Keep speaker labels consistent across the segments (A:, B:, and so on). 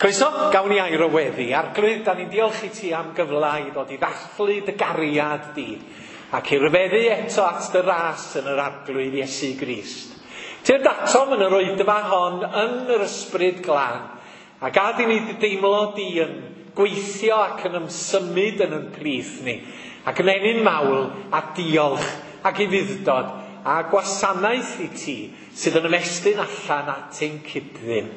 A: Croeso, gawn ni air o weddi. Arglwydd, da ni'n diolch i ti am gyfle i ddod i ddathlu dy gariad di ac i ryfeddu eto at dy ras yn yr Arglwydd Iesu Grist. Tyrd atom yn yr oedfa hon yn yr ysbryd glân a gad i ni deimlo di yn gweithio ac yn ymsymud yn yn plith ni ac yn ennyn mawl a diolch ac ufudd-dod a gwasanaeth i ti sydd yn ymestyn allan at ein cyd-ddyn.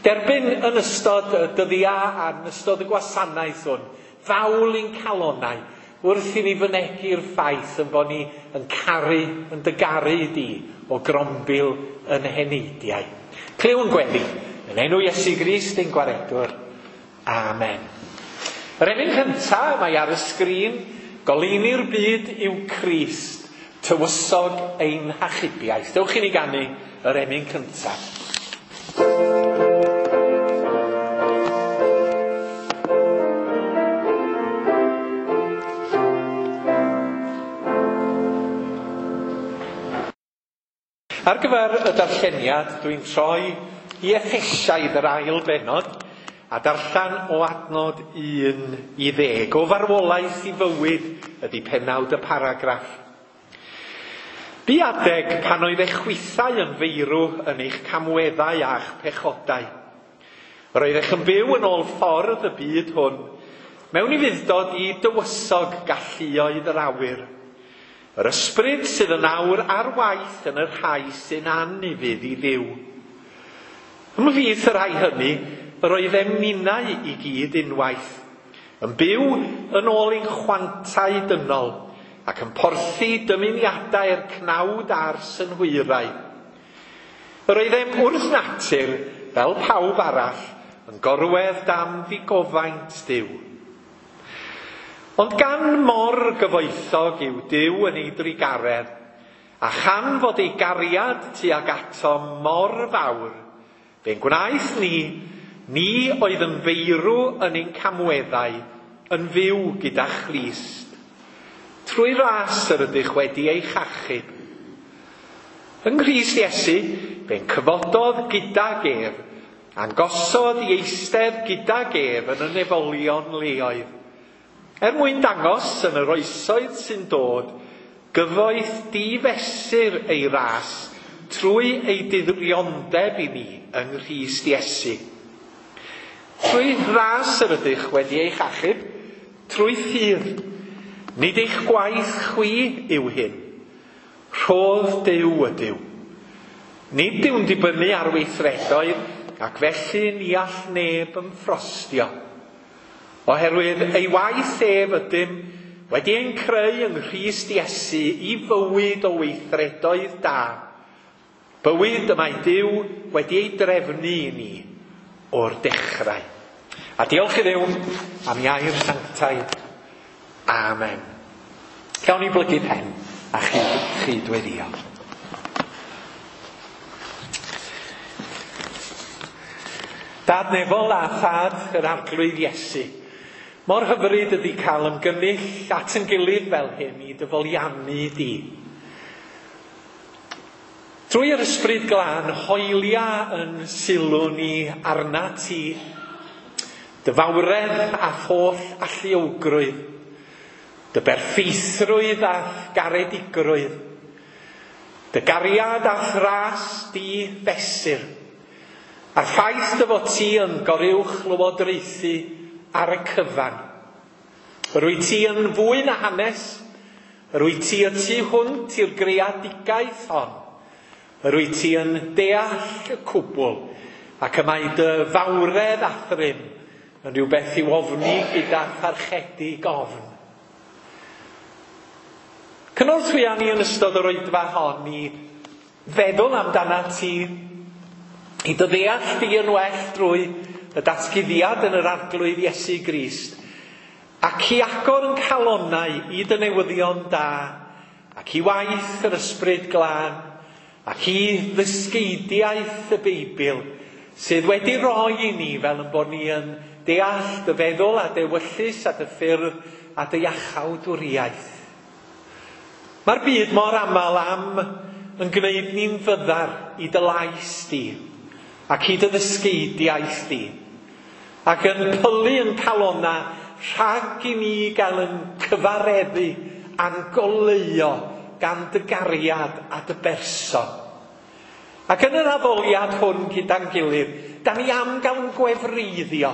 A: Derbyn yn ystod y dyddiau a yn ystod y gwasanaeth hwn, fawl i'n calonnau, wrth i ni fynegi'r ffaith yn bod ni yn caru, yn dy garu di o grombil yn heneidiau. Clywn gweddi, yn enw Iesu Grist ein Gwaredwr. Amen. Yr emyn cyntaf mae ar y sgrin, goleuni'r byd yw Crist, tywysog ein hachubiaeth. Dewch i ni ganu yr emyn cyntaf. Ar gyfer y darlleniad, dwi'n troi i Effesiaid yr ail bennod a darllen o adnod 1 i 10. O farwolaeth i fywyd ydy pennawd y paragraff. Bu adeg pan oedd eich chwithau yn feirw yn eich camweddau a'ch pechodau. Yr oeddech yn byw yn ôl ffordd y byd hwn, mewn ufudd-dod i dywysog galluoedd yr awyr. Yr ysbryd sydd yn awr ar waith yn y rhai sy'n anufudd i Dduw. Ymhlith y rhai hynny, yr oeddem ninnau i gyd unwaith, yn byw yn ôl ein chwantau dynol, ac yn porthi dymuniadau'r cnawd a'r synhwyrau. Yr oeddem wrth natur, fel pawb arall, yn gorwedd dan ddigofaint Duw. Ond gan mor gyfoethog yw Duw yn ei drugaredd, a chan fod ei gariad tuag ato mor fawr, fe'n gwnaeth ni, ni oedd yn feirw yn ein camweddau, yn fyw gyda Christ. Trwy ras yr ydych wedi eich achub. Yng Nghrist Iesu, fe'n cyfododd gydag ef, a'n gosod i eistedd gydag ef yn y nefolion leoedd. Er mwyn dangos yn yr oesoedd sy'n dod, gyfoeth difesur ei ras trwy ei diriondeb i ni yng Nghrist Iesu. Trwy ras yr ydych wedi eich achub, trwy ffydd. Nid eich gwaith chwi yw hyn. Rhodd Duw ydyw. Nid yw'n dibynnu ar weithredoedd, ac felly ni all neb ymffrostio. Oherwydd ei waith ef ydym wedi ein creu yng Nghrist Iesu i fywyd o weithredoedd da. Bywyd y mae Duw wedi ei drefnu i ni o'r dechrau. A diolch i Dduw am air sanctaidd. Amen. Gawn ni blygu pen a chydweddio. Dad nefol a thad yr Arglwydd Iesu, mor hyfryd ydy cael ymgynnull at yn gilydd fel hyn i dy foliannu di. Trwy yr ysbryd glân, hoelia yn sylw ni arna ti, dy fawredd a holl alluogrwydd, dy berffeithrwydd a garedigrwydd, dy gariad a thras di fesur, a'r ffaith dy fod ti yn goruwch lywodraethu ar y cyfan. Yr wyt ti yn fwy na hanes, yr wyt ti y tu hwnt i'r greadigaeth hon, yr wyt ti yn deall y cwbl, ac y mae dy fawredd a thrym yn rhywbeth i'w ofni gyda tharchedu gofn. Cynorthwya ni yn ystod yr oedfa hon i feddwl amdana ti, i dy ddeall di yn well drwy y datguddiad yn yr Arglwydd Iesu Grist, ac i agor yn calonnau i dy newyddion da, ac i waith yr ysbryd glân, ac i ddysgeidiaeth y Beibl, sydd wedi roi i ni fel yn bod ni yn deall dy feddwl a dewyllys a dy ffyrdd a dy iachawdwriaeth. Mae'r byd mor aml am yn gwneud ni'n fyddar i dy lais di, ac i dy ddysgeidiaeth di. Ac yn pylu yn calona rhag i ni gael yn cyfareddu a'n goleuo gan dy gariad a dy berson. Ac yn yr addoliad hwn gyda'n gilydd, da ni am gael yn gwefreiddio.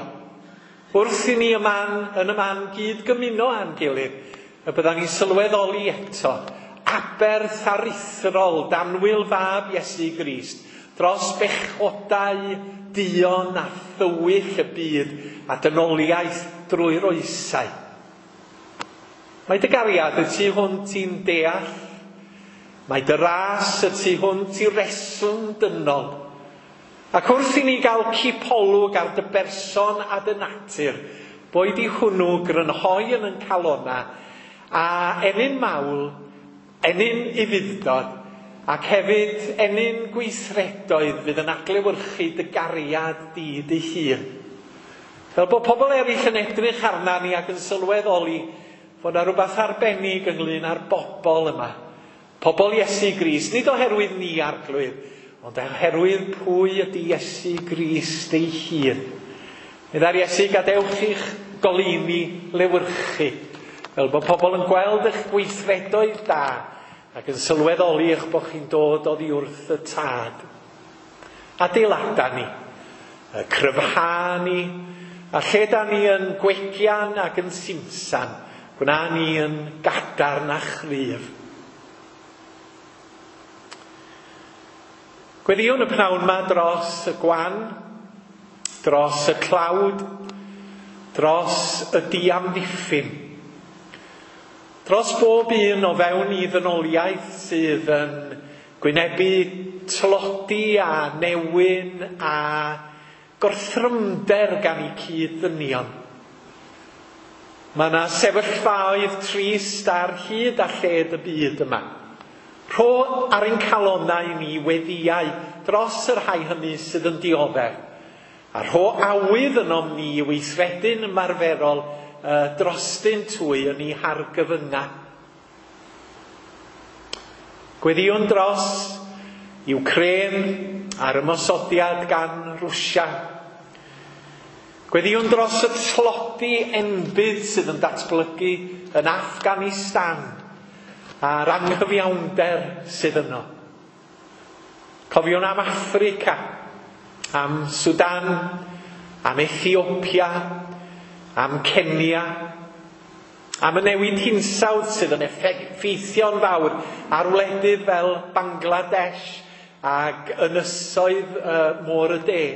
A: Wrth i ni y man, yn y man gyd gymuno â'n gilydd, y byddan ni'n sylweddoli eto aberth aruthrol danwyl fab Iesu Grist dros bechodau duon a thywyll y byd a dynoliaeth drwy'r oesau. Mae dy gariad y tu hwnt i'n deall. Mae dy ras y tu hwnt i reswm dynol. Ac wrth i ni gael cipolwg ar dy berson a dy natur, boed i hwnnw grynhoi yn yn calona a ennyn mawl, ennyn ufudd-dod, ac hefyd ennyn gweithredoedd fydd yn adlewyrchu dy gariad di dy hun. Fel bod pobl eraill yn edrych arna ni ac yn sylweddoli fod yna rhywbeth arbennig ynglyn â'r bobl yma. Pobl Iesu Grist, nid oherwydd ni Arglwydd, ond oherwydd pwy ydy Iesu Grist ei hun. Meddai'r Iesu, gadewch i'ch goleuni lewyrchu, fel bod pobl yn gweld eich gweithredoedd da ac yn sylweddoli eich bod chi'n dod oddi wrth y Tad. Adeilada ni, y cryfha ni, a lle da ni yn gwegian ac yn simsan, gwna ni yn gadarn a chryf. Gweddïwn y pnawn yma dros y gwan, dros y tlawd, dros y diamddiffyn, dros bob un o fewn i ddynoliaeth sydd yn gwynebu tlodi a newyn a gorthrymder gan eu cyd-ddynion. Mae yna sefyllfaoedd trist ar hyd a lled y byd yma. Rho ar ein calonnau ni weddïau dros y rhai hynny sydd yn dioddef, a rho awydd ynom ni i weithredu'n ymarferol drostynt hwy yn eu hargyfyngau. Gweddïwn dros Iwcrên a'r ymosodiad gan Rwsia. Gweddïwn dros y tlodi enbyd sydd yn datblygu yn Afghanistan a'r anghyfiawnder sydd yno. Cofiwn am Affrica, am Sudan, am Ethiopia, am Kenya, am y newid hinsawdd sydd yn effeithio'n fawr ar wledydd fel Bangladesh ac ynysoedd Môr y De.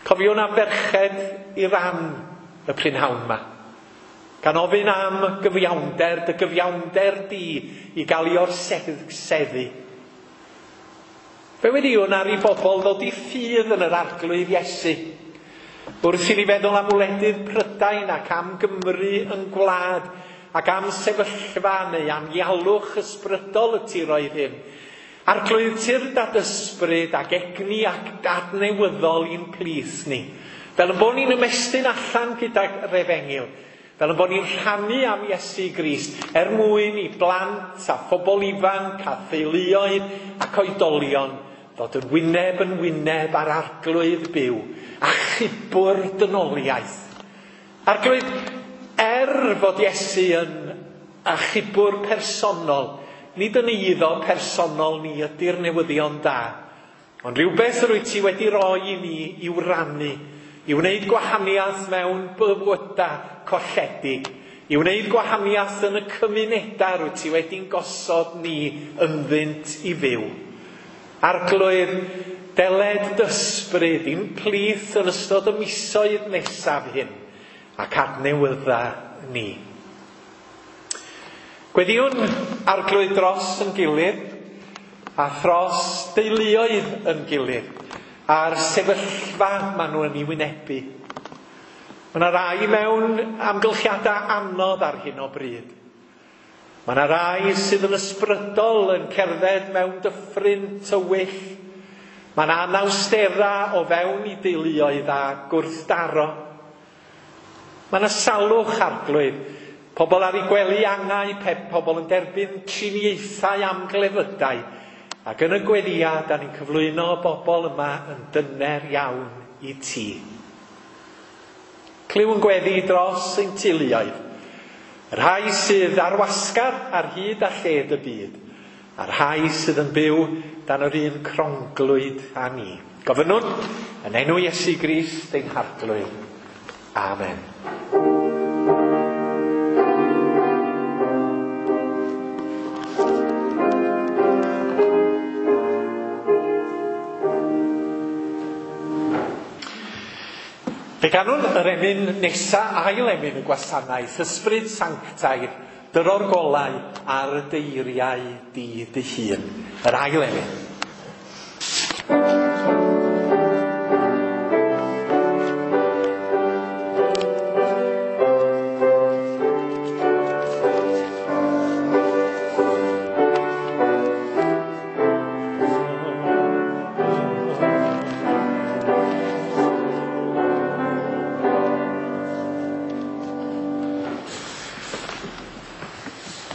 A: Cofiwn am ferched Iran y prynhawn yma, gan ofyn am gyfiawnder, dy gyfiawnder di i gael ei orseddu. Fe weddïwn ar i bobl ddod i ffydd yn yr Arglwydd Iesu. Wrth i ni feddwl am wledydd Prydain ac am Gymru yn gwlad, ac am sefyllfa neu am ialwch ysbrydol y tiroedd hyn, Arglwydd, tyrd ad ysbryd ac egni ac adnewyddol i'n plith ni, fel yn bod ni'n ymestyn allan gydag yr efengyl, fel yn bod ni'n rhannu am Iesu Grist er mwyn i blant a phobl ifanc a theuluoedd ac oedolion ddod yn wyneb yn wyneb â'r Arglwydd byw, achubwr dynoliaeth. Arglwydd, er fod Iesu yn achubwr personol, nid yn eiddo personol ni ydy'r newyddion da, ond rhywbeth yr wyt ti wedi roi i ni i'w rannu, i wneud gwahaniaeth mewn bywydau colledig, i wneud gwahaniaeth yn y cymunedau rwyt ti wedi'n gosod ni ynddynt i fyw. Arglwydd, deled d'ysbryd i'n plith yn ystod y misoedd nesaf hyn, ac adnewydda ni. Gweddïwn Arglwydd dros yn gilydd, a thros deuluoedd yn gilydd, a'r sefyllfa maen nhw yn ei wynebu. Mae yna rai mewn amgylchiadau anodd ar hyn o bryd. Mae yna rai sydd yn ysbrydol yn cerdded mewn dyffryn tywyll. Mae yna anawsterau o fewn i deuluoedd a gwrthdaro. Mae yna salwch, Arglwydd. Pobl ar eu gwely angau, pobl yn derbyn triniaethau am glefydau. Ac yn y gweddïau, da ni'n cyflwyno bobl yma yn dyner iawn i ti. Clyw ein gweddi dros ein teuluoedd, y rhai sydd ar wasgar ar hyd a lled y byd, a'r rhai sydd yn byw dan yr un cronglwyd â ni. Gofynnwn yn enw Iesu Grist ein Harglwydd. Amen. Fe ganwn yr emyn nesa, ail emyn y gwasanaeth, Ysbryd Sanctaidd, dyro'r golau ar y deiriau di dy hun. Yr ail emyn.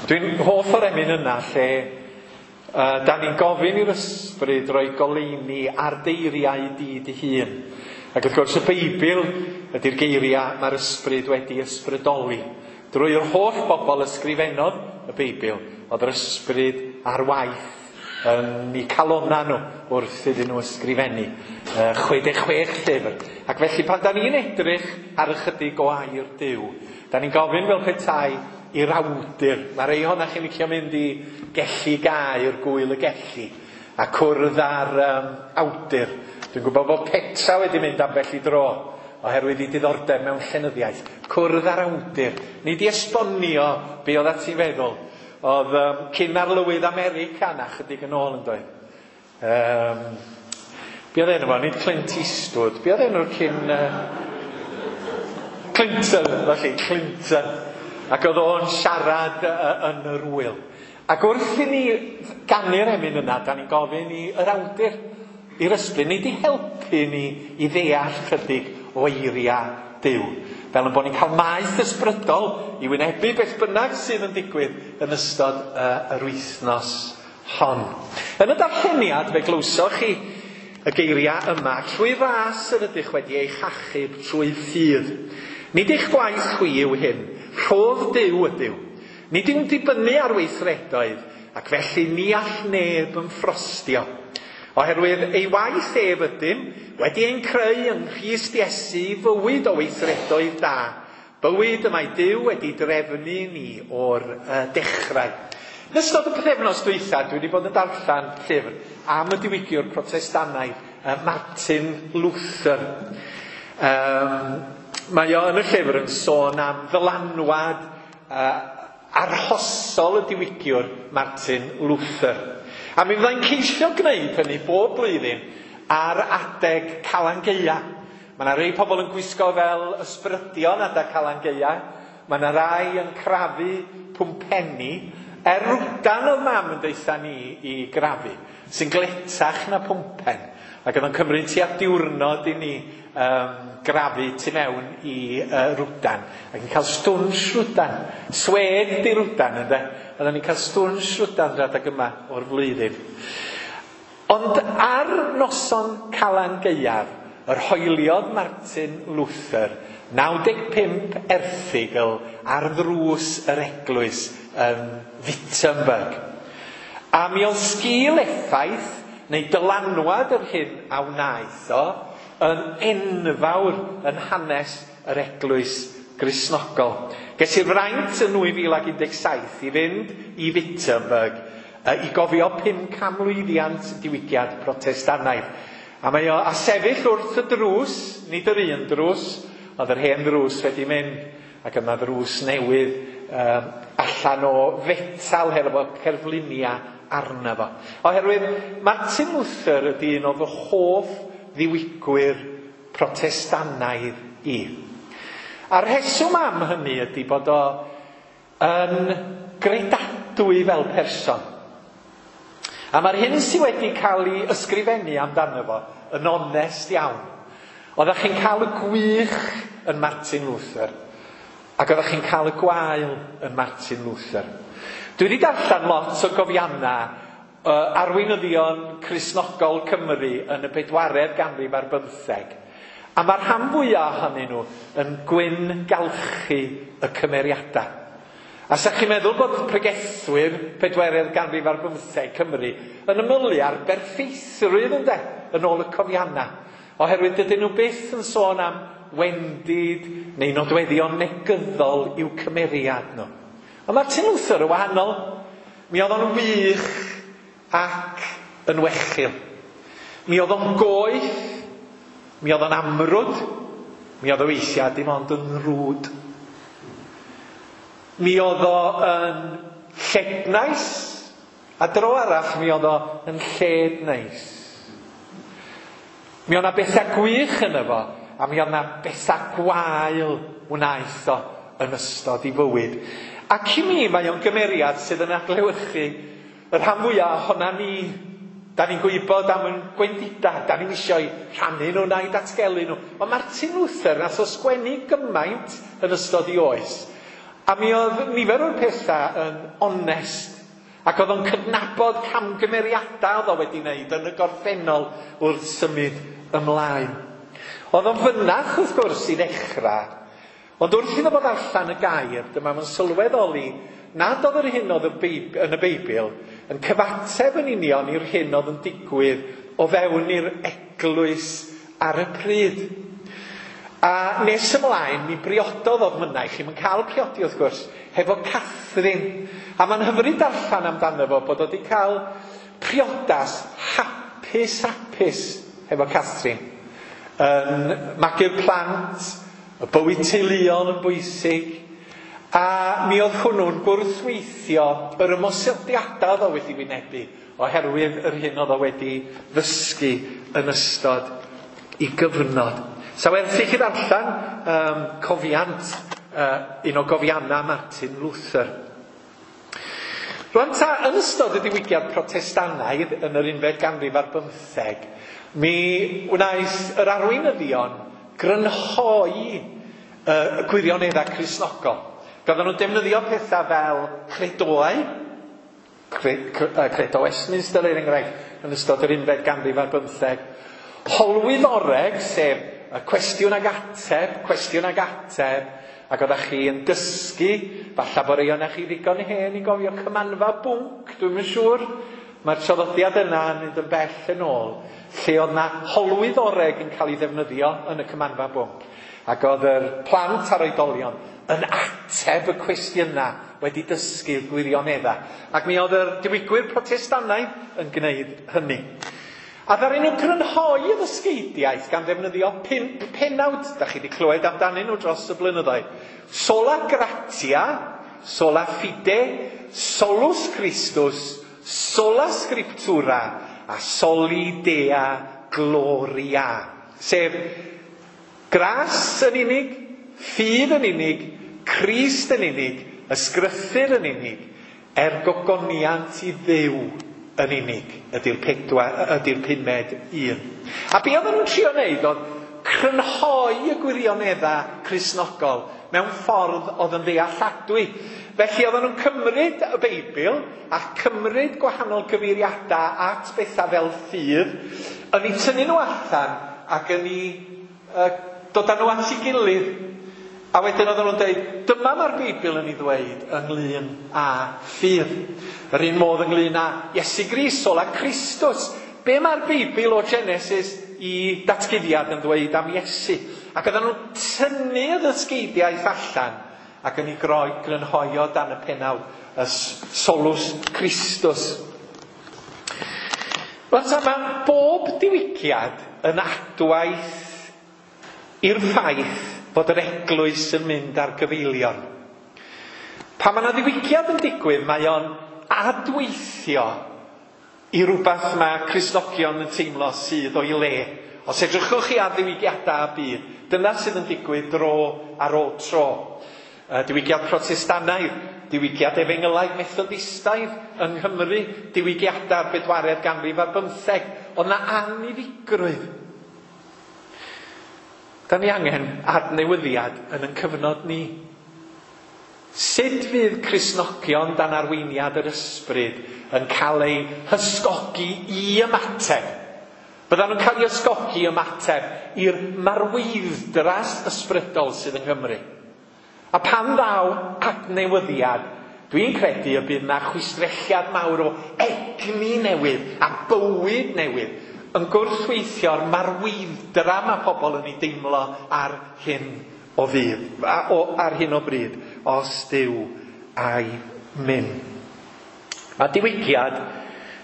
A: Dwi'n hoff o'r emyn yna lle da ni'n gofyn i'r ysbryd roi goleuni ar deiriau di dy hun. Ac wrth gwrs y Beibl ydy'r geiriau mae'r ysbryd wedi ysbrydoli. Drwy'r holl bobl ysgrifennodd y Beibl, oedd yr ysbryd ar waith yn eu calonna nhw wrth iddyn nhw ysgrifennu 66 llyfr. Ac felly pan da ni'n edrych ar ychydig o air Duw, da ni'n gofyn fel petai i'r awdur. Mae rhai ohonoch chi'n licio mynd i Gelli Gaer, Gwyl y Gelli, a cwrdd â'r awdur. Dwi'n gwybod bod Petra wedi mynd ambell i dro oherwydd ei diddordeb mewn llenyddiaeth. Cwrdd â'r awdur. Nid i esbonio be oedd at ei feddwl. Oedd cyn arlywydd America na chydig yn ôl yn doedd. Be oedd enw fo? Nid Clint Eastwood. Be oedd enw'r cyn... Clinton, felly, Clinton. Ac oedd o'n siarad yn yr wyl. Ac wrth i ni ganu'r emyn yna, da ni'n gofyn i yr awdur, i'r ysbryd, nid i helpu ni i ddeall chydig o eiriau Duw. Fel yn bod ni'n cael maeth ysbrydol i wynebu beth bynnag sydd yn digwydd yn ystod yr wythnos hon. Yn y darlleniad fe glywsoch chi y geiriau yma, trwy ras yr ydych wedi eich achub trwy ffydd. Nid eich gwaith chwi yw hyn, rhodd Duw ydyw. Nid yw'n dibynnu ar weithredoedd, ac felly ni all neb yn ffrostio. Oherwydd ei waith ef ydym, wedi ein creu yng Nghrist Iesu i fywyd o weithredoedd da, bywyd y mae Duw wedi drefnu ni o'r dechrau. Yn ystod y pythefnos dwytha, dwi wedi bod yn darllen llyfr am y diwygiwr Protestannaidd, Martin Luther. Mae o yn y llyfr yn sôn am ddylanwad arhosol y diwygiwr Martin Luther. A mi fyddai'n ceisio gwneud hynny bob blwyddyn ar adeg Calan Gaea. Mae yna rei pobl yn gwisgo fel ysbrydion adeg Calan Gaea. Mae yna rai yn crafu pwmpenni. Er rwdan oedd mam yn deutha ni i grafu, sy'n gletach na pwmpen. Ac oedd o'n cymryd tua diwrnod i ni grafu tu mewn i rwdan. Ac yn cael stwnsh rwdan. Swed di rwdan, ynde? Oedden ni'n cael stwnsh rwdan yr adeg yma o'r flwyddyn. Ond ar noson Calan Gaeaf, yr hoeliodd Martin Luther 95 erthygl ar ddrws yr eglwys yn Wittenberg. A mi oedd sgil effaith neu dylanwad yr hyn a wnaeth o yn enfawr yn hanes yr eglwys Gristnogol. Ges i'r fraint yn 2017 i fynd i Wittenberg i gofio 500 mlwyddiant diwygiad Protestannaidd. A mae o a sefyll wrth y drws, nid yr un drws, ond yr hen ddrws wedi mynd, ac yma ddrws newydd allan o fetal hefo cerfluniau arno fo. Oherwydd Martin Luther ydy un o fy hoff ddiwygwyr Protestannaidd i. A'r rheswm am hynny ydy bod o yn gredadwy fel person. A mae'r hyn sydd wedi cael ei ysgrifennu amdano fo yn onest iawn. Oeddech chi'n cael y gwych yn Martin Luther, ac oeddech chi'n cael y gwael yn Martin Luther. Dwi wedi darllen lot o gofiannau arweinyddion Cristnogol Cymru yn y 4th ganrif ar 15. A mae'r rhan fwyaf ohonyn nhw yn gwyngalchu y cymeriadau. A sa chi'n meddwl bod pregethwyr pedwerydd ganrif ar bymtheg Cymru yn ymylu ar berffeithrwydd ynde, yn ôl y cofiannau. Oherwydd dydyn nhw byth yn sôn am wendid neu nodweddion negyddol i'w cymeriad nhw. Ond Martin Luther yn wahanol. Mi oedd o'n wych ac yn wechil. Mi oedd o'n goeth, mi oedd o'n amrwd, mi oedd o weithiau dim ond yn rwd. Mi oedd o yn llednais, a dro arall mi oedd o yn lled neis. Mi oedd 'na bethau gwych yno fo, a mi oedd 'na bethau gwael wnaeth o yn ystod ei fywyd. Ac i mi, mae o'n gymeriad sydd yn adlewyrchu y rhan fwyaf ohona ni. Da ni'n gwybod am yn gwendidau, da ni'n eisiau rhannu nhw na'i datgelu nhw. Ond Martin Luther nath o sgwennu gymaint yn ystod ei oes. A mi oedd nifer o'r pethau yn onest. Ac oedd o'n cydnabod camgymeriadau oedd o wedi wneud yn y gorffennol wrth symud ymlaen. Oedd o'n fynach wrth gwrs i ddechrau, ond wrth iddo fo ddarllen y gair, dyma fo'n sylweddoli nad oedd yr hyn oedd yn y Beibl yn cyfateb yn union i'r hyn oedd yn digwydd o fewn i'r eglwys ar y pryd. A nes ymlaen, mi briododd oedd mynaich, chi'm yn cael priodi wrth gwrs, hefo Catherine. A mae'n hyfryd darllen amdano fo bod o wedi cael priodas hapus hapus hefo Catherine. Yn magu'r plant, y bywyd teuluol yn bwysig, a mi oedd hwnnw'n gwrthweithio yr ymosodiadau oedd o wedi wynebu oherwydd yr hyn oedd o wedi ddysgu yn ystod ei gyfnod. Sa werth i chi ddarllen cofiant, un o gofiannau Martin Luther. Rwan ta, yn ystod y diwygiad Protestannaidd yn yr unfed ganrif ar bymtheg, mi wnaeth yr arweinyddion grynhoi y gwirioneddau Cristnogol. Roedden nhw'n defnyddio pethau fel credoau, Credo Westminster er enghraifft, yn ystod yr unfed ganrif ar bymtheg. Holwyddoreg, sef y cwestiwn ag ateb, cwestiwn ag ateb, ac oeddech chi yn dysgu, falle bod rei ohonoch chi ddigon hen i gofio cymanfa bwnc, dwi'm yn siŵr. Mae'r traddodiad yna yn mynd yn bell yn ôl, lle oedd 'na holwyddoreg yn cael ei ddefnyddio yn y cymanfa bwnc. Ac oedd yr plant a'r oedolion yn ateb y cwestiynau wedi dysgu'r gwirioneddau. Ac mi oedd yr diwygwyr Protestannaidd yn gwneud hynny. A ddaru nhw grynhoi y ddysgeidiaeth gan ddefnyddio 5 pennawd, da chi wedi clywed amdanyn nhw dros y blynyddoedd. Sola gratia, sola fide, solus Christus, sola scriptura a soli dea gloria. Sef gras yn unig, ffydd yn unig, Crist yn unig, ysgrythur yn unig, er gogoniant i Dduw yn unig, ydy'r ydy'r pumed un. A be oedden nhw'n trio wneud oedd crynhoi y gwirioneddau Cristnogol mewn ffordd oedd yn ddealladwy. Felly oedden nhw'n cymryd y Beibl a cymryd gwahanol gyfeiriadau at bethau fel ffydd, yn eu tynnu nhw allan ac yn eu dod â nhw at ei gilydd. A wedyn oedden nhw'n dweud, dyma mae'r Beibl yn ei ddweud ynglyn â ffydd. Yr un modd ynglyn â Iesu Grist, sola Christus. Be mae'r Beibl o Genesis i datguddiad yn ddweud am Iesu? Ac oedden nhw'n tynnu y ddysgeidiaeth allan ac yn ei grynhoi o dan y pennawd, y solus Christus. Rwan ta, mae bob diwygiad yn adwaith i'r ffaith fod yr eglwys yn mynd ar gyfeilion. Pan mae yna ddiwygiad yn digwydd, mae o'n adweithio i rywbeth mae Cristnogion yn teimlo sydd o'i le. Os edrychwch chi ar ddiwygiadau y byd, dyna sydd yn digwydd dro ar ôl tro. Diwygiad Protestannaidd, diwygiad Efengylaidd Methodistaidd yng Nghymru, diwygiadau'r bedwaredd ganrif ar bymtheg. Oedd 'na anniddigrwydd. Da ni angen adnewyddiad yn ein cyfnod ni. Sut fydd Cristnogion dan arweiniad yr ysbryd yn cael eu hysgogi i ymateb? Byddan nhw'n cael eu ysgogi ymateb i'r marweiddras ysbrydol sydd yng Nghymru. A pan ddaw adnewyddiad, dwi'n credu y bydd 'na chwistrelliad mawr o egni newydd a bywyd newydd yn gwrthweithio'r marweidd-dra mae pobl yn ei deimlo ar hyn o ddydd, ar hyn o bryd, os Duw a'i myn. Mae diwygiad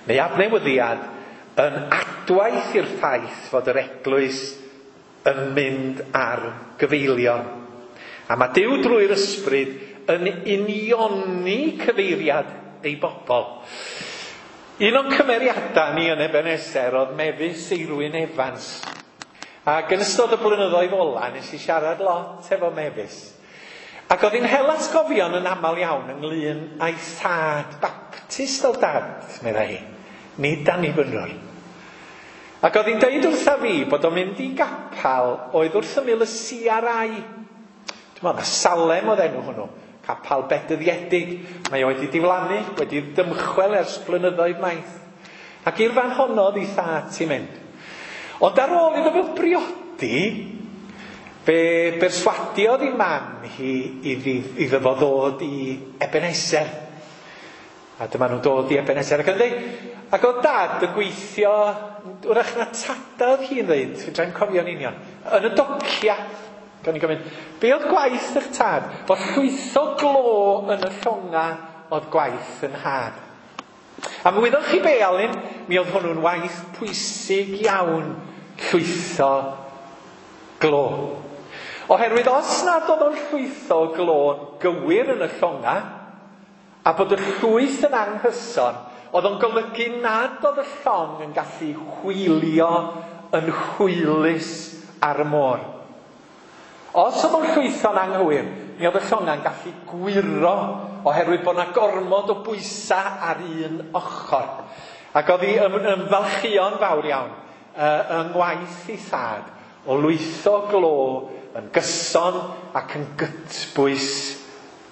A: neu adnewyddiad yn adwaith i'r ffaith fod yr eglwys yn mynd ar gyfeilion. A mae Duw drwy'r ysbryd yn unioni cyfeiriad ei bobl. Un o'n cymeriadau ni yn Ebenezer oedd Mefus Eirwyn Evans. Ac yn ystod y blynyddoedd ola, nes i siarad lot efo Mefus. Ac oedd hi'n hel atgofion yn aml iawn ynglyn â'i thad, Baptist oedd dad, meddai hi, nid Annibynnwr. Ac oedd hi'n deud wrtha fi bod o'n mynd i gapal oedd wrth ymyl y CRI. Dwi'n meddwl na Salem oedd enw hwnnw, capal bedyddiedig. Mae o wedi diflannu, wedi dymchwel ers blynyddoedd maith. Ac i'r fan honno oedd ei thad ti'n mynd. Ond ar ôl iddo fo briodi, fe berswadiodd ei mam hi iddo fo ddod i Ebenezer. A dyma nhw'n dod i Ebenezer ac yn dweud, ac oedd dad yn gweithio, wrach na tada oedd hi'n dweud, fedrai'm cofio'n union, yn y docia. Gan i gofyn, be oedd gwaith eich tad? Fod llwytho glo yn y llonga oedd gwaith yn nhad. A mi wyddoch chi be, Alun, mi oedd hwnnw'n waith pwysig iawn, llwytho glo. Oherwydd os nad oedd o'n llwytho glo'n gywir yn y llonga, a bod y llwyth yn anghyson, oedd o'n golygu nad oedd y llong yn gallu hwylio yn hwylus ar y môr. Os oedd o'n llwytho'n anghywir, mi oedd y llonga'n gallu gwyro oherwydd bod 'na gormod o bwysau ar un ochr. Ac oedd hi ymfalchïo'n fawr iawn yng ngwaith ei thad o lwytho glo yn gyson ac yn gytbwys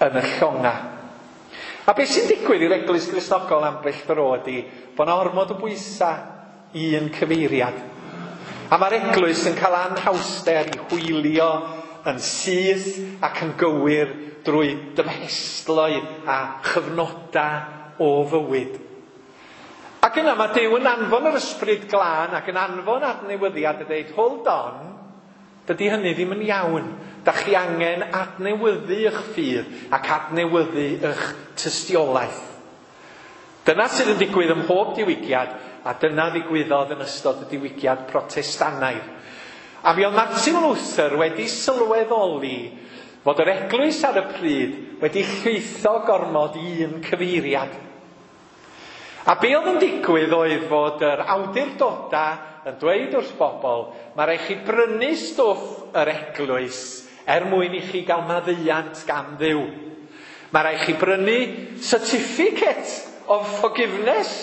A: yn y llonga. A beth sy'n digwydd i'r Eglwys Gristnogol ambell dro ydy bod 'na ormod o bwysau i un cyfeiriad. A mae'r Eglwys yn cael anhawster i hwylio yn syth ac yn gywir drwy dymhestloedd a chyfnodau o fywyd. Ac yna mae Duw yn anfon yr Ysbryd Glân ac yn anfon adnewyddiad a dweud, hold on, dydy hynny ddim yn iawn. Da chi angen adnewyddu eich ffydd ac adnewyddu eich tystiolaeth. Dyna sydd yn digwydd ym mhob diwygiad, a dyna ddigwyddodd yn ystod y diwygiad Protestannaidd. A mi oedd Martin Luther wedi sylweddoli fod yr eglwys ar y pryd wedi llwytho gormod i un cyfeiriad. A be oedd yn digwydd oedd fod yr awdurdodau yn dweud wrth bobl, mae rhaid chi brynu stwff yr eglwys er mwyn i chi gael maddeuant gan Dduw. Mae rhaid chi brynu certificate of forgiveness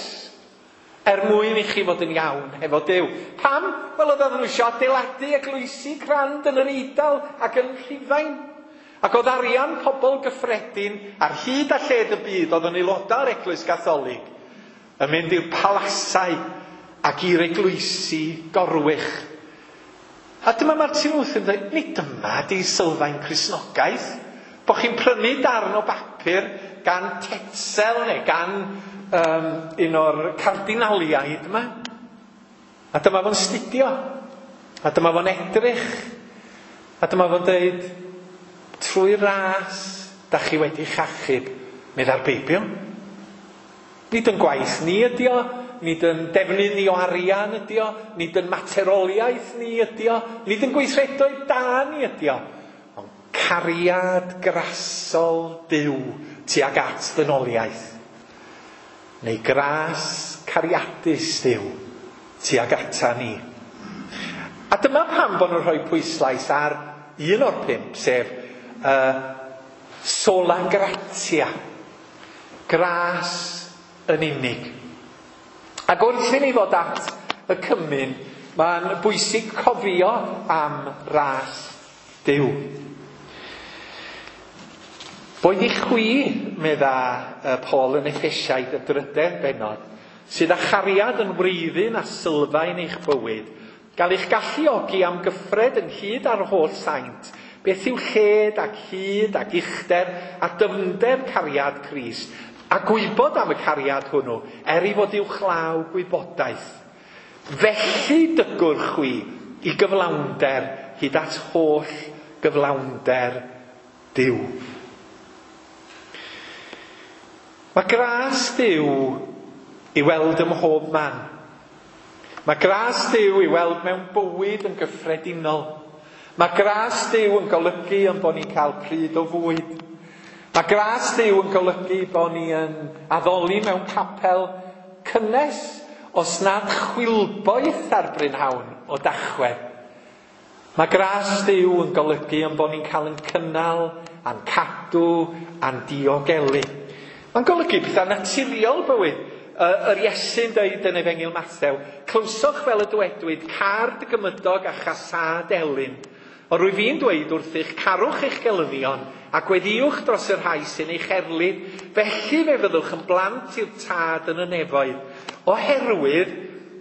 A: er mwyn i chi fod yn iawn hefo Duw. Pam? Wel, oedd nhw eisiau adeiladu eglwysi crand yn yr Eidal ac yn Rhufain. Ac oedd arian pobl gyffredin ar hyd a lled y byd oedd yn aelodau o'r Eglwys Gatholig yn mynd i'r palasau ac i'r eglwysi gorwych. A dyma Martin Luther yn dweud, nid dyma di sylfaen Cristnogaeth, bod chi'n prynu darn o bapur gan Tetzel neu gan un o'r cardinaliaid yma. A dyma fo'n studio. A dyma fo'n edrych. A dyma fo'n dweud, trwy ras da chi wedi chachub, meddai'r Beibl. Nid yn gwaith ni ydi o, nid yn defnydd ni o arian ydi o, nid yn materoliaeth ni ydi o, nid yn gweithredoedd da ni ydi o, ond cariad grasol Duw tuag at ddynoliaeth. Neu gras cariadus Duw tuag ata ni. A dyma pam bod nhw'n rhoi pwyslais ar un o'r 5, sef sola gratia, gras yn unig. Ac wrth i ni ddod at y cymun, mae'n bwysig cofio am ras Duw. Boed i chwi, medda Paul yn Effesiaid y drydedd bennod, sydd â chariad yn wreiddyn a sylfaen eich bywyd, gael eich galluogi am gyffred ynghyd â'r holl saint, beth yw lled ac hyd ac uchder a dyfnder cariad Crist, a gwybod am y cariad hwnnw, er ei fod uwchlaw gwybodaeth. Felly dygwch chwi i gyflawnder hyd at holl gyflawnder Duw. Mae gras Duw i weld ym mhob man. Mae gras Duw i weld mewn bywyd yn gyffredinol. Mae gras Duw yn golygu yn bod ni'n cael pryd o fwyd. Mae gras Duw yn golygu bod ni yn addoli mewn capel cynnes os nad chwilboeth ar brynhawn o Dachwedd. Mae gras Duw yn golygu yn bod ni'n cael yn cynnal a'n cadw a'n diogelu. Mae'n golygu pethau naturiol bywyd. Yr Iesu'n dweud yn Efengyl Mathew, clywsoch fel y dywedwyd, car dy gymydog a chasâd elyn. Ond rwyf fi'n dweud wrthych, carwch eich gelynion a gweddïwch dros y rhai sy'n eich erlid, felly fe fyddwch yn blant i'r Tad yn y nefoedd. Oherwydd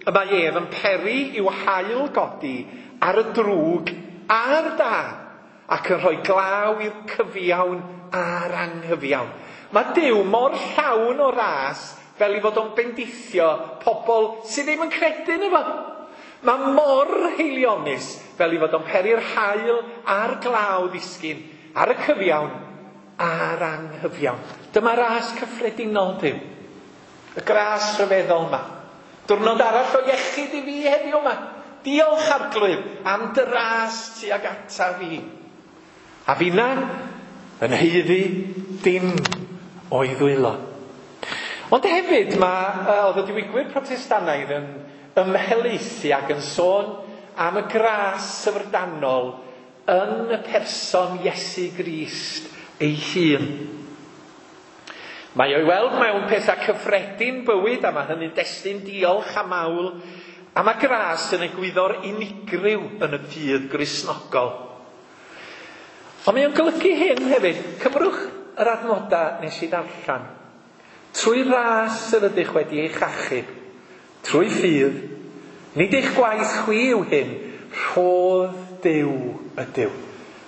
A: y mae ef yn peri i'w haul godi ar y drwg a'r da, ac yn rhoi glaw i'r cyfiawn a'r anghyfiawn. Mae Duw mor llawn o ras fel ei fod o'n bendithio pobl sydd ddim yn credu ynddo fo. Mae mor haelionus fel ei fod o'n peri'r haul a'r glaw ddisgyn ar y cyfiawn a'r anghyfiawn. Dyma ras cyffredinol Duw. Y gras rhyfeddol yma. Diwrnod arall o iechyd i fi heddiw yma. Diolch Arglwydd am dy ras tuag ata fi. A finna yn haeddu dim o'i ddwylo. Ond hefyd mae oedd y diwygwyr Protestannaidd yn ymhelaethu ac yn sôn am y gras syfrdanol yn y person Iesu Grist ei hun. Mae o'i weld mewn pethau cyffredin bywyd, a mae hynny'n destun diolch a mawl, a mae gras yn egwyddor unigryw yn y ffydd Gristnogol. Ond mae o'n golygu hyn hefyd. Cymrwch yr adnodau nes i ddarllen. Trwy ras yr ydych wedi eich achub, trwy ffydd, nid eich gwaith chwi yw hyn, rhodd Duw ydyw.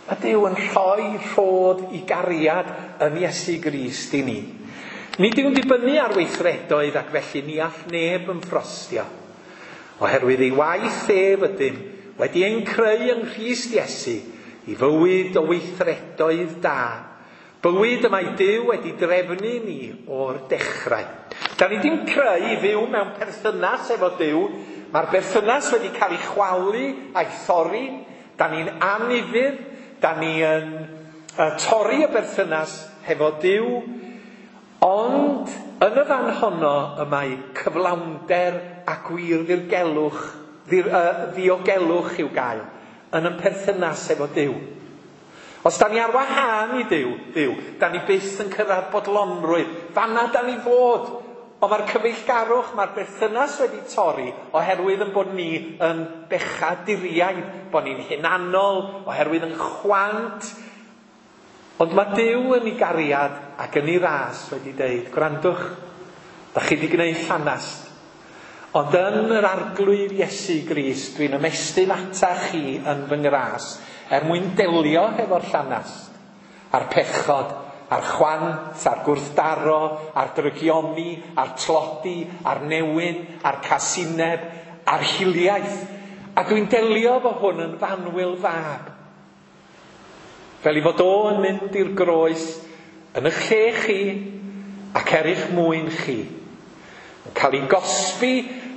A: Mae Duw yn rhoi rhodd i gariad yn Iesu Grist i ni. Nid yw'n dibynnu ar weithredoedd ac felly ni all neb ymffrostio. Oherwydd ei waith ef ydym wedi ein creu yng Nghrist Iesu i fywyd o weithredoedd da. Bywyd y mae Duw wedi drefnu ni o'r dechrau. Da ni ddim creu i fyw mewn perthynas efo Duw. Mae'r berthynas wedi cael ei chwalu a'i thorri. Da ni'n anufudd, da ni yn torri y berthynas hefo Duw. Ond yn y fan honno y mae cyflawnder a gwir ddirgelwch, ddiogelwch i'w gael yn y perthynas efo Duw. Os da ni ar wahân i Duw, da ni byth yn cyrraedd bodlonrwydd. Fanna da ni fod. Ond mae'r cyfeillgarwch, mae'r berthynas wedi torri oherwydd yn bod ni yn bechaduriaid, bod ni'n hunanol, oherwydd yn chwant. Ond mae Duw yn ei gariad ac yn ei ras wedi deud, gwrandwch, da chi wedi gwneud llanast. Ond yn yr Arglwydd Iesu Grist, dwi'n ymestyn ata chi yn fy ngras, er mwyn delio hefo'r llanast, a'r pechod, a'r chwant, a'r gwrthdaro, a'r drygioni, a'r tlodi, a'r newyn, a'r casineb, a'r hiliaeth. A dwi'n delio efo hwn yn fanwyl fab. Fel i fod o yn mynd i'r groes yn eich lle chi ac er eich mwyn chi. Yn cael ei gosbi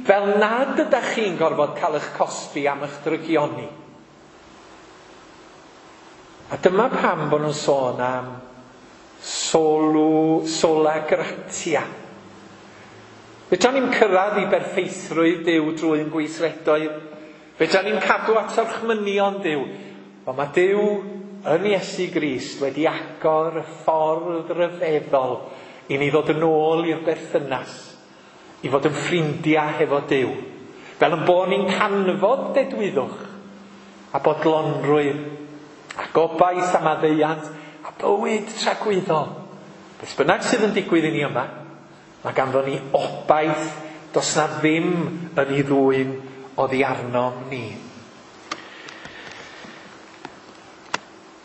A: fel nad ydych chi'n gorfod cael eich cosbi am eich drygioni. A dyma pam bod nhw'n sôn am sola gratia. Fedra ni'm cyrraedd i berffeithrwydd Duw drwy'n gweithredoedd. Fedra ni'm cadw at orchmynion Duw. Ond mae Duw yn Iesu Grist wedi agor y ffordd ryfeddol i ni ddod yn ôl i'r berthynas, i fod yn ffrindiau hefo Duw. Fel yn bod ni'n canfod dedwyddwch a bodlonrwydd a gobaith a maddeuant a bywyd tragwyddol. Beth bynnag sydd yn digwydd i ni yma, mae ganddo ni obaith Does na ddim yn ei ddwyn oddi arnom ni.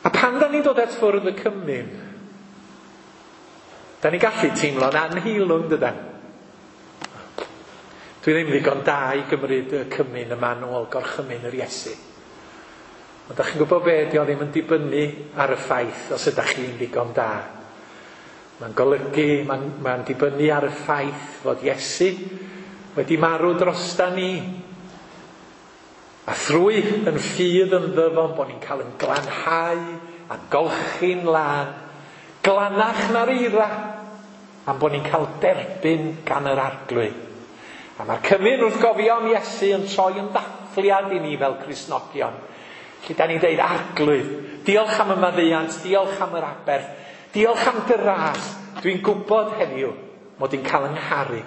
A: A pan da ni'n dod at fwrdd y cymun, da ni'n gallu teimlo'n anheilwng, dydan? Dwi ddim ddigon da i gymryd y cymun yma nôl gorchymyn yr Iesu. Ond da chi'n gwybod be, di o ddim yn dibynnu ar y ffaith os ydych chi'n ddigon da. Mae'n golygu, mae'n dibynnu ar y ffaith fod Iesu wedi marw drosta ni. A thrwy yn ffydd yn ddyfon bod ni'n cael yn glanhau a golchi'n lân, glanach na'r eira, am bod ni'n cael derbyn gan yr Arglwydd. A mae'r cymun wrth gofio am Iesu yn troi yn ddathliad i ni fel Cristnogion. Lle da ni'n deud, Arglwydd, diolch am y maddeuant, diolch am yr aberth, diolch am dy ras. Dwi'n gwybod heddiw mod i'n cael yng ngharu.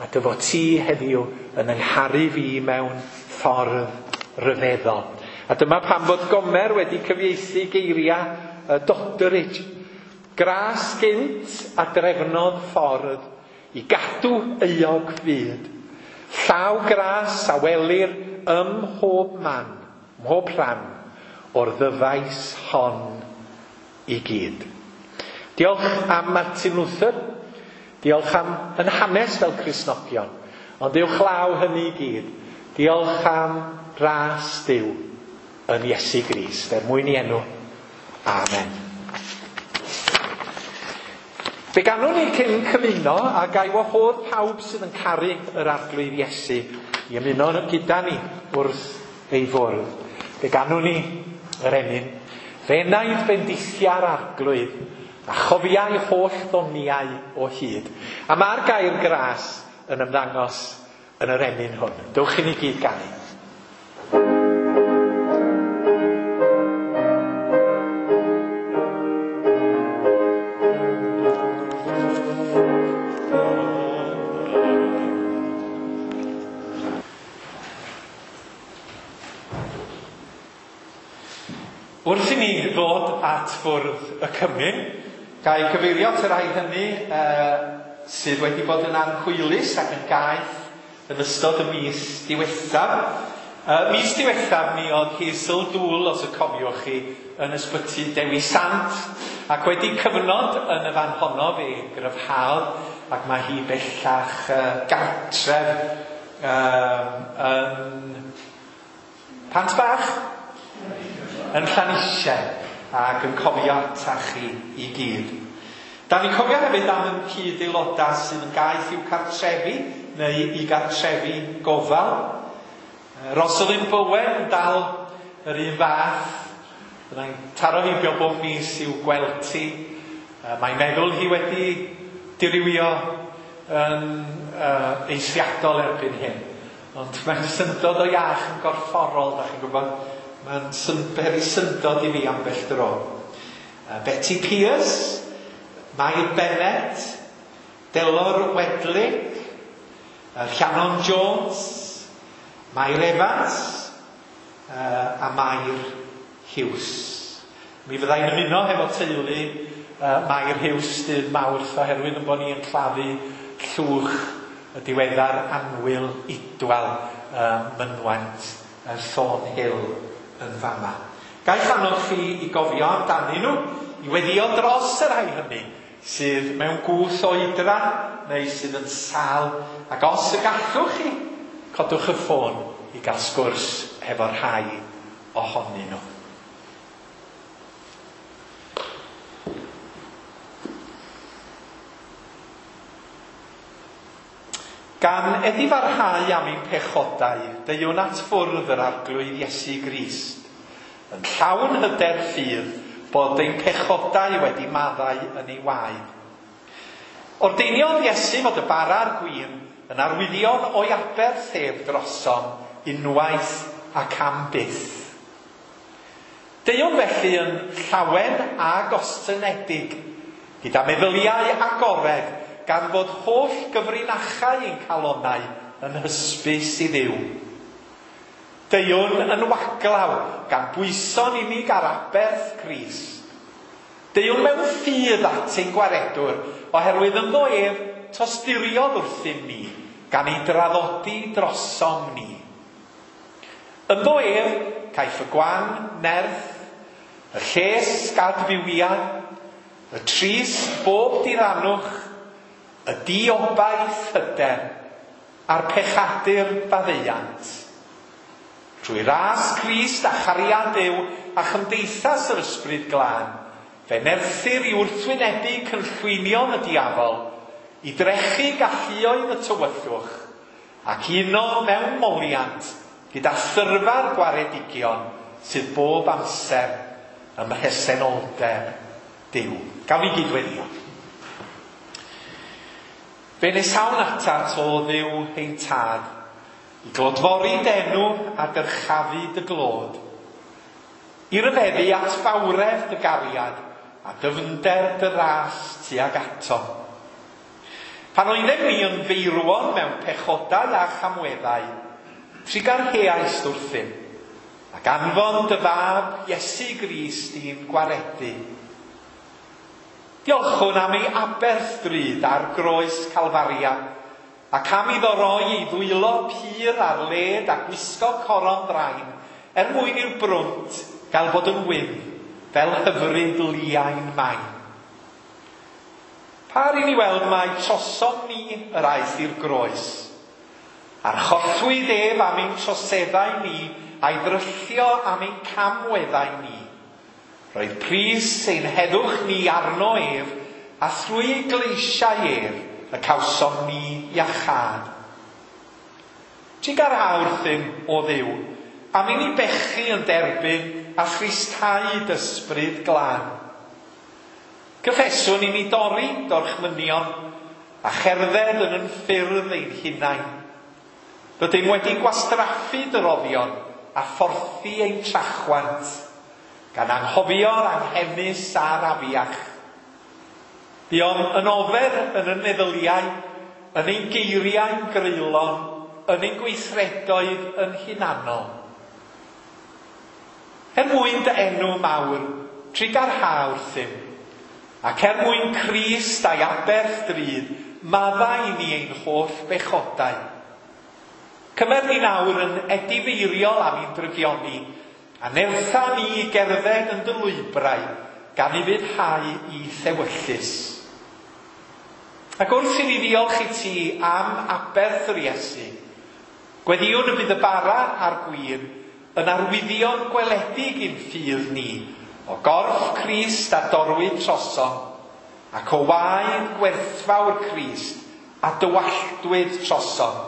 A: A dy fod ti heddiw yn yngharu fi mewn ffordd ryfeddol. A dyma pam fod Gomer wedi cyfieithu geiriau Doddridge. Gras gynt a drefnodd ffordd i gadw euog fyd. Llaw gras a welir ym mhob man, mhob rhan o'r ddyfais hon i gyd. Diolch am Martin Luther, diolch am yn hanes fel Cristnogion, ond uwchlaw hynny i gyd, diolch am ras Duw yn Iesu Grist, er mwyn i enw. Amen. Fe ganwn ni cyn cymuno a gai wahodd pawb sydd yn caru yr Arglwydd Iesu i ymuno gyda ni wrth ei fwrdd. Fe ganwn ni yr emyn. Fe enaid bendithia'r Arglwydd a chofiai holl ddoniau o hyd. A mae'r gair gras yn ymddangos yn yr emyn hwn. Dewch i ni gyd ganu. Wrth i ni ddod at fwrdd y cymun, gael cyfeirio at y rhai hynny sydd wedi bod yn anhwylus ac yn gaeth yn ystod y mis diwethaf. Mis diwethaf mi oedd Hazel Dŵl, os y cofiwch chi, yn ysbyty Dewi Sant, ac wedi cyfnod yn y fan honno fe gryfhaodd, ac mae hi bellach gartref yn Pant Bach yn Llanisien, ac yn cofio atach chi i gyd. Da ni'n cofio hefyd am yn cyd-aelodau sydd yn gaeth i'w cartrefi neu i gartrefi gofal. Rosalind Bowen yn dal yr un fath. Byddai'n taro heibio bob mis i'w gweld ti. Mae'n meddwl hi wedi dirywio yn eithriadol erbyn hyn. Ond mae'n syndod o iach yn gorfforol, da chi'n gwybod. Mae'n peri syndod i fi ambell dro. Betty Pierce, Mair Bennett, Delor Wedley, Rhiannon Jones, Mair Evans a Mair Hughes. Mi fyddai'n ymuno hefo teulu Mair Hughes dydd Mawrth oherwydd yn bod ni'n claddu llwch y diweddar annwyl Idwal mynwent Thornhill yn fama. Ga'i annog chi i gofio amdanyn nhw, i weddio dros y rhai hynny sydd mewn gwth oedran neu sydd yn sâl, ac os y gallwch chi, codwch y ffôn i gael sgwrs efo rhai ohonyn nhw. Gan edifarhau am ein pechodau, deuwn at fwrdd yr Arglwydd Iesu Grist, yn llawn hyder ffydd bod ein pechodau wedi maddau yn ei waed. Ordeiniodd Iesu fod y bara a'r gwin yn arwyddion o'i aberth ef drosom unwaith ac am byth. Deuwn felly yn llawen a gostynedig, gyda meddyliau agored, gan fod holl gyfrinachau ein calonnau yn hysbys i Dduw. Deuwn yn waglaw, gan bwyso'n unig ar aberth Crist. Deuwn mewn ffydd at ein gwaredwr, oherwydd ynddo ef tosturiodd wrthym ni, gan ei draddodi drosom ni. Ynddo ef, caiff y gwan nerth, y lles gadfywiad, y trist bob diranwch, y diobaith hyder, a'r pechadur faddeuant. Trwy ras Crist a chariad Duw a chymdeithas yr Ysbryd Glân, fe nerthir i wrthwynebu cynllwynion y diafol, i drechu galluoedd y tywyllwch, ac uno mewn moliant gyda thyrfa'r gwaredigion sydd bob amser ym mhresenoldeb Duw. Gawn ni gydweddio. Fe nesawn atat o Dduw ein tad, i glodfori d'enw a dyrchafu dy glod, i ryfeddu at fawredd dy gariad a dyfnder dy ras tuag ato. Pan oeddem ni yn feirwon mewn pechodau a chamweddau, trugarheaist wrthym, ac anfon dy fab Iesu Grist i'n gwaredu. Diolchwn am ei aberth drud ar groes Calfaria, ac am iddo roi ei ddwylo pur ar led a gwisgo coron ddrain, er mwyn i'r brwnt gael bod yn wyn, fel hyfryd liain main. Par i ni weld mai trosom ni yr aeth i'r groes, Archollwyd ef am ein troseddau ni, a'i ddryllio am ein camweddau ni. Roedd pris ein heddwch ni arno ef, a thrwy ei gleisiau ef y cawsom ni iachâd. Trugarha wrthym, o Dduw, am i ni bechu yn derbyn a thristhau d'ysbryd glân. Cyffeswn i ni dorri dorchmynion a cherdded yn yn ffyrdd ein hunain. Rydym wedi gwastraffu dy roddion a phorthi ein trachwant, gan anghofio'r anghenus a'r afiach. Buom yn ofer yn y meddyliau, yn ein geiriau'n greulon, yn ein gweithredoedd yn hunanol. Er mwyn dy enw mawr, trugarha wrthym, ac er mwyn Crist a'i aberth drud, maddau i ni ein holl bechodau. Cymer ni nawr yn edifeiriol am ein drygioni, a nertha ni i gerdded yn dy lwybrau, gan i fyddhau i thewyllys. Ac wrth i ni ddiolch i ti am aberth yr Iesu, gweddïwn y bydd y bara a'r gwin yn arwyddion gweledig i'n ffydd ni, o gorff Crist a dorwyd trosom, ac o waed gwerthfawr Crist a dywalltwyd trosom.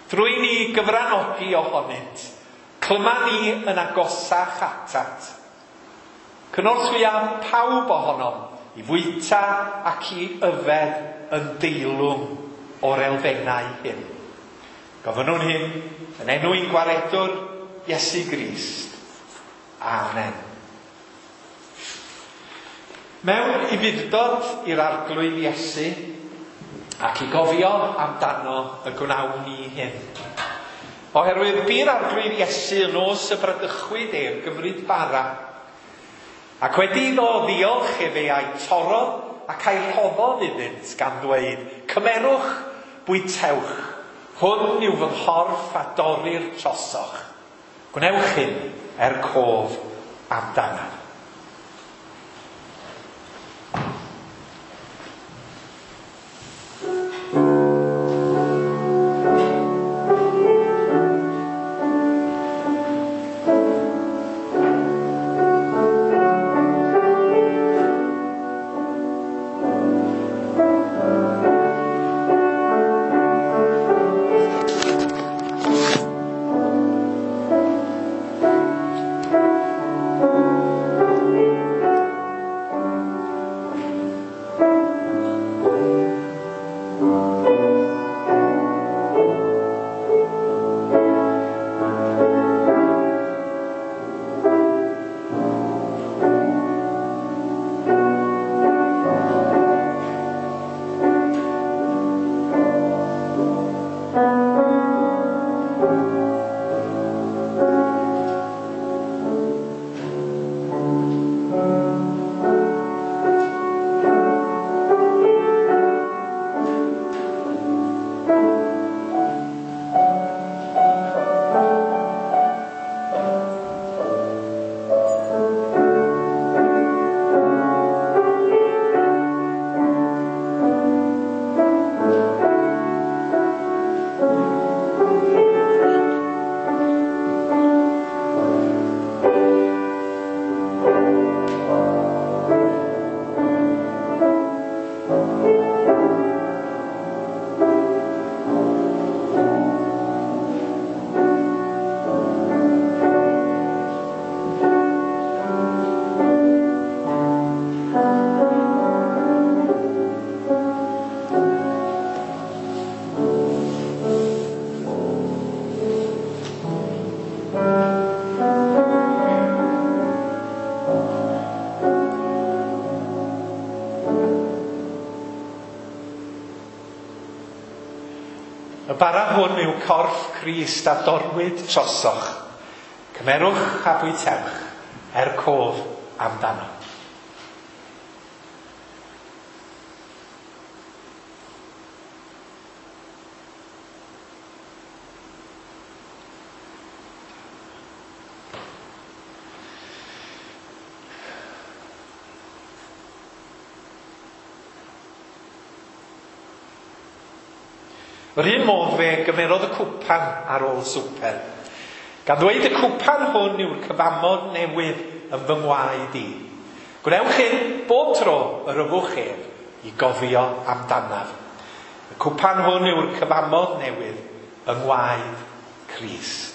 A: Drwy ni gyfranogi ohonynt, clyma ni yn agosach atat. Cynorthwya pawb ohonom i fwyta ac i yfed yn deilwng o'r elfennau hyn. Gofynnwn hyn yn enw ein gwaredwr Iesu Grist. Amen. Mewn ufudd-dod i'r Arglwydd Iesu, ac i gofio amdano y gwnawn ni hyn. Oherwydd bu'r Arglwydd Iesu yn nos y bradychwyd ef gymryd bara, ac wedi iddo ddiolch efe a'i torrodd ac a'i rhoddodd iddynt gan ddweud, cymerwch, bwytewch, hwn yw fy nghorff a dorrir trosoch. Gwnewch hyn er cof amdanaf. Y bara hwn yw corff Crist a dorwyd trosoch. Cymerwch a bwytewch er cof amdano. Yr un modd fe gymerodd y cwpan ar ôl swper, gan ddweud y cwpan hwn yw'r cyfamod newydd yn fy ngwaed i. Gwnewch hyn bob tro yr yfwch ef i gofio amdanaf. Y cwpan hwn yw'r cyfamod newydd yng ngwaed Crist.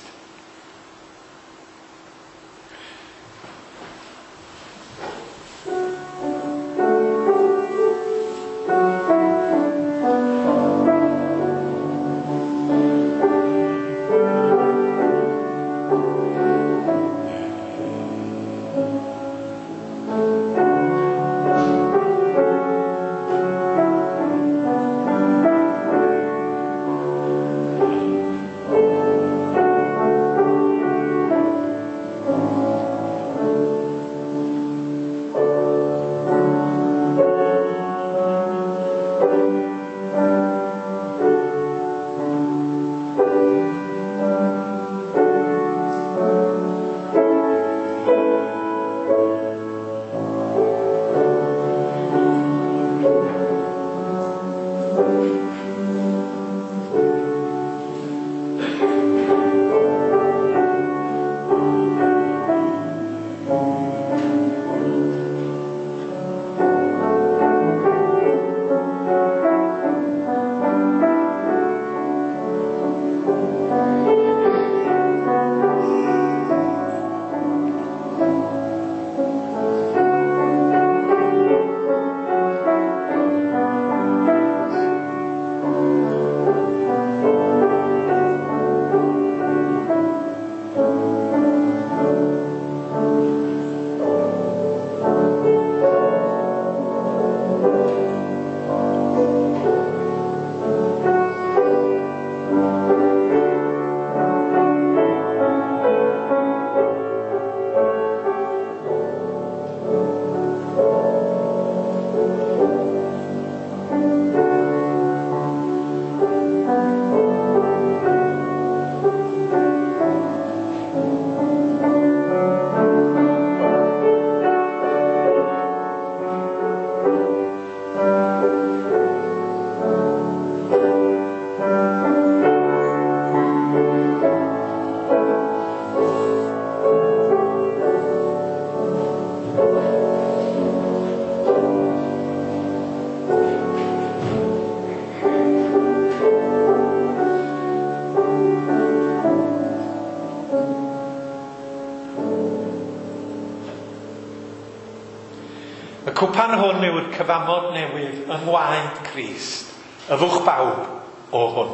A: Y cwpan hwn yw'r cyfamod newydd yng ngwaed Crist, yfwch bawb o hwn.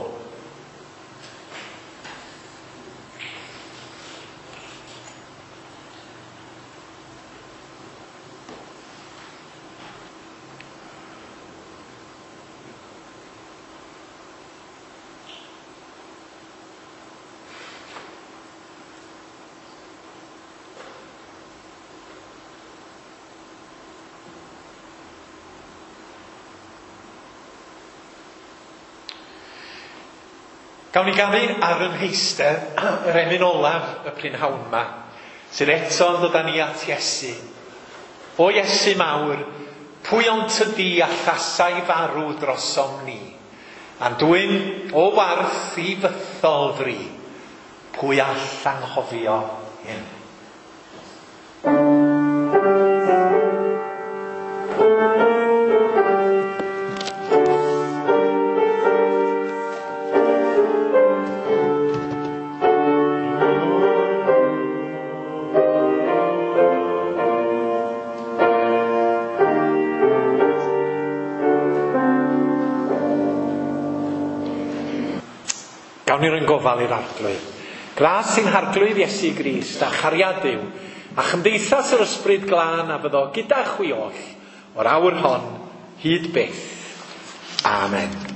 A: Gawn ni ganu ar yn heistedd yr emyn olaf y prynhawn yma, sydd eto yn dod â ni at Iesu. O Iesu mawr, pwy ond tydi allasai farw drosom ni, a'n dwyn o warth i fythol fri, pwy all anghofio hyn? Gawn ni roi'n gofal i'r Arglwydd. Gras sy'n Harglwydd Iesu Grist a chariad Duw a chymdeithas yr Ysbryd Glân a fyddo gyda chwi oll o'r awr hon hyd byth. Amen.